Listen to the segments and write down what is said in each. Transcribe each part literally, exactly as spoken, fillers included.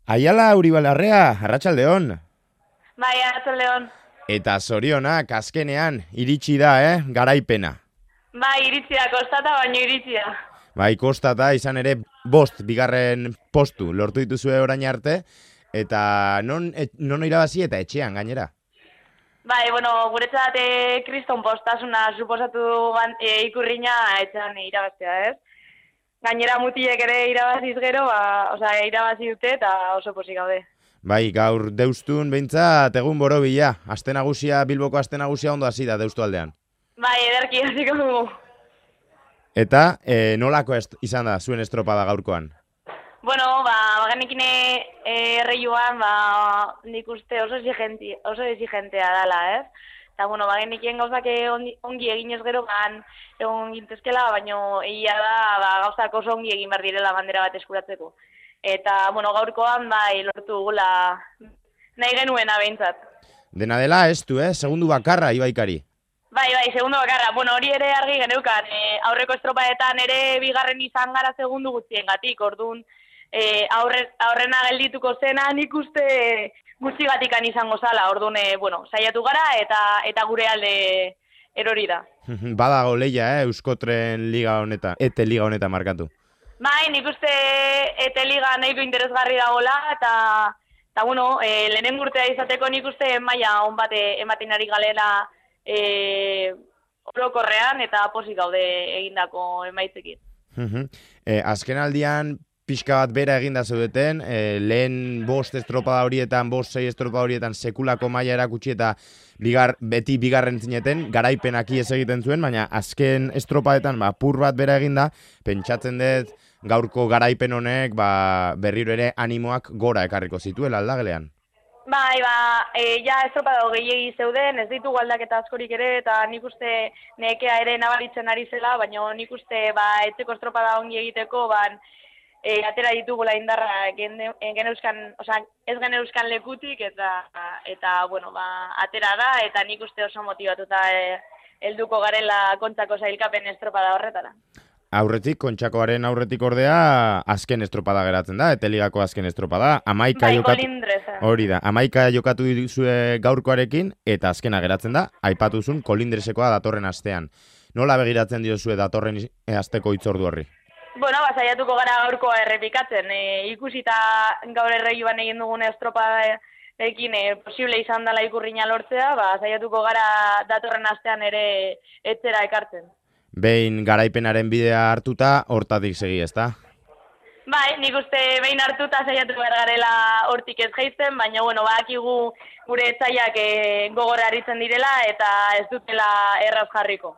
Aiala Uribalarrea, arratsaldeon. Bai, arratsaldeon. Eta zorionak azkenean iritsi da, eh, garaipena. Bai, iritsi da, kostata baino iritsi da. Bai, kostata izan ere bost bigarren postu lortu dituzue orain arte, eta non, et, non irabazi eta etxean gainera. Bai, bueno, guretzat e, kriston postasuna suposatu e, ikurriña etxean irabaztea, ez? Gainera mutilek ere irabaziz gero, ba, osea, irabazi dute eta oso pozik gaude. Bai, gaur deustun behintzat egun borobila. Aste nagusia, Bilboko aste nagusia ondo hasi da deustu aldean. Bai, ederki hasiko dugu. Eta e, nolako est, izan da zuen estropada gaurkoan? Bueno, ba, bagenekin erreioan, ba, nik uste oso exigenti, oso exigentea dela, ez? Eta, bueno, bagenekien gauzak ongi, ongi eginez gero, ban, egon gintezkela, baino egia da, ba, gauzak oso ongi egin behar direla bandera bat eskuratzeko. Eta, bueno, gaurkoan, bai, lortu gula nahi genuena behintzat. Dena dela, ez du, eh? Segundu bakarra, Ibaikari. Bai, bai, segundu bakarra. Bueno, hori ere argi geneukan. E, aurreko estropaetan ere bigarren izan gara segundu gutxiengatik, orduan, e, aurre, aurrena geldituko zena nik uste gutxigatikan izango zala. Orduan, e, bueno, saiatu gara eta eta gure alde erori da. Badago leia, eh? Euskotren liga honetan, ete liga honetan markatu. Bai, nik uste ete liga nahiko interesgarri dagoela, eta, eta bueno, e, lehenen urtea izateko nik uste maila on bat ematen ari galera e, orokorrean eta posik gaude egindako emaitzekin. e, azken aldian pixka bat bera eginda zeudeten, e, lehen bost estropada horietan, bost sei estropada horietan sekulako maila erakutsi eta bigar, beti bigarren zineten, garaipenak ies egiten zuen, baina azken estropadetan ba, pur bat bera eginda, pentsatzen dut gaurko garaipen honek ba, berriro ere animoak gora ekarriko zituela aldagelean. Bai, ba, e, ja estropada gehiegi zeuden, ez ditugu aldaketa askorik ere, eta nik uste nekea ere nabaritzen ari zela, baina nik uste ba, etxeko estropada ongi egiteko, ban, E, atera ditugula indarra geneuzkan, osea, ez geneuzkan lekutik eta eta bueno, ba, atera da eta nik uste oso motibatuta e, helduko garela Kontxako sailkapen estropada horretara. Aurretik, Kontxakoaren aurretik ordea azken estropada geratzen da, Eteligako azken estropada, amaika bai, jokatu, kolindreza. Hori da, amaika jokatu dizue gaurkoarekin eta azkena geratzen da, aipatuzun kolindresekoa datorren astean. Nola begiratzen diozue datorren asteko hitzordu horri? Bueno, ba, saiatuko gara gaurkoa errepikatzen. E, ikusita gaur erreioan egin dugun estropadekin e, posible izan dela ikurriña lortzea, ba, saiatuko gara datorren astean ere etzera ekartzen. Behin garaipenaren bidea hartuta, hortatik segi, ezta? Bai, nik uste behin hartuta saiatuko behar garela hortik ez jaizten, baina, bueno, badakigu gure etzaiak e, gogorra aritzen direla eta ez dutela erraz jarriko.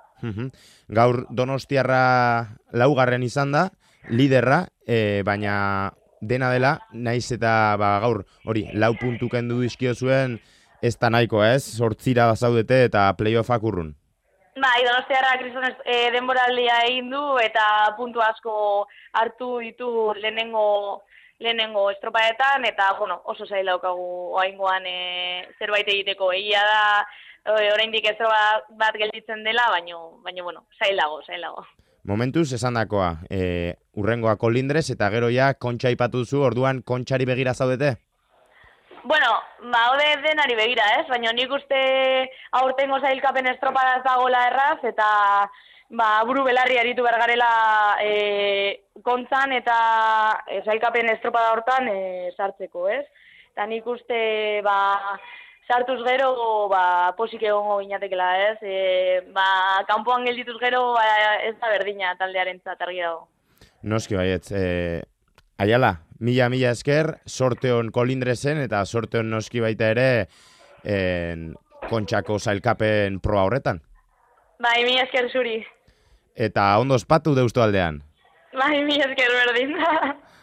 Gaur Donostiarra laugarren izan da, liderra, e, baina dena dela, naiz eta ba, gaur hori lau puntu kendu dizkio zuen, ez da nahiko, ez? Zortzira bazaudete eta playoffak urrun. Bai, Donostiarra kriston e, denboraldia egin du eta puntu asko hartu ditu lehenengo lehenengo estropadetan eta bueno, oso zaila daukagu oraingoan e, zerbait egiteko. Egia da oraindik estropa bat gelditzen dela, baino baino bueno, zailago, zailago. Momentuz esandakoa, e, urrengoa kolindrez eta gero ja Kontxa aipatu zu, orduan Kontxari begira zaudete? Bueno, ba, hode denari begira, ez? Baina nik uste aurtengo zailkapen estropada ez dagoela erraz, eta ba, buru belarri aritu bergarela e, kontzan eta e, zailkapen estropada hortan e, sartzeko, ez? Eta nik uste ba, sartuz gero ba, posik egongo ginatekela, ez? E, ba, kanpoan geldituz gero ba, ez da berdina taldearen zat argi dago. Noski baietz, e, Aiala, mila mila esker, sorteon kolindrezen eta sorteon noski baita ere en, Kontxako sailkapen proa horretan. Bai, mila esker zuri. Eta ondo ospatu deustu aldean. Bai, mila esker berdin.